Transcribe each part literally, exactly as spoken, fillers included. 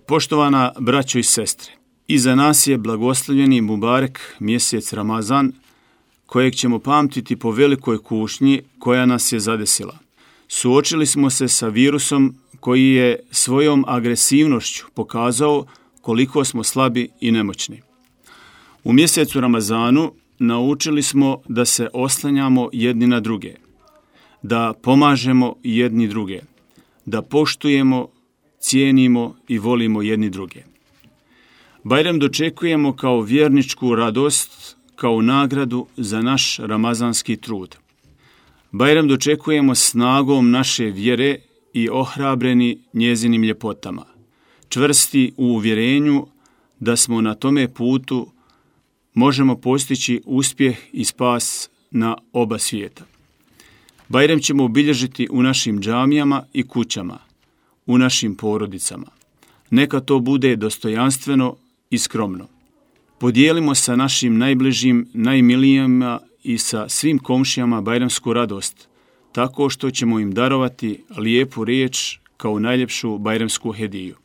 Poštovana braćo i sestre, iza nas je blagoslovljeni Mubarek mjesec Ramazan, kojeg ćemo pamtiti po velikoj kušnji koja nas je zadesila. Suočili smo se sa virusom koji je svojom agresivnošću pokazao koliko smo slabi i nemoćni. U mjesecu Ramazanu naučili smo da se oslanjamo jedni na druge, da pomažemo jedni druge, da poštujemo, cijenimo i volimo jedni druge. Bajram dočekujemo kao vjerničku radost, kao nagradu za naš ramazanski trud. Bajram dočekujemo snagom naše vjere i ohrabreni njezinim ljepotama, čvrsti u uvjerenju da smo na tome putu možemo postići uspjeh i spas na oba svijeta. Bajram ćemo obilježiti u našim džamijama i kućama, u našim porodicama. Neka to bude dostojanstveno i skromno. Podijelimo sa našim najbližim, najmilijima i sa svim komšijama bajramsku radost, tako što ćemo im darovati lijepu riječ kao najljepšu bajramsku hediju.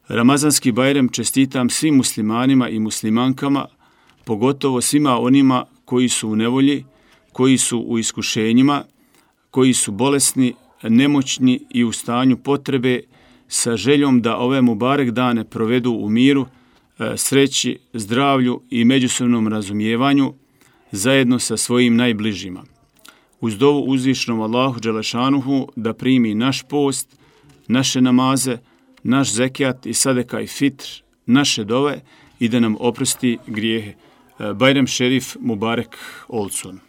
Ramazanski Bajram čestitam svim muslimanima i muslimankama, pogotovo svima onima koji su u nevolji, koji su u iskušenjima, koji su bolesni, nemoćni i u stanju potrebe, sa željom da ove Mubarek dane provedu u miru, sreći, zdravlju i međusobnom razumijevanju zajedno sa svojim najbližima. Uz dovu uzvišnom Allahu Đelešanuhu da primi naš post, naše namaze, naš zekijat i sadeka i fitr, naše dove i da nam oprosti grijehe. Bajram šerif Mubarek Olsun.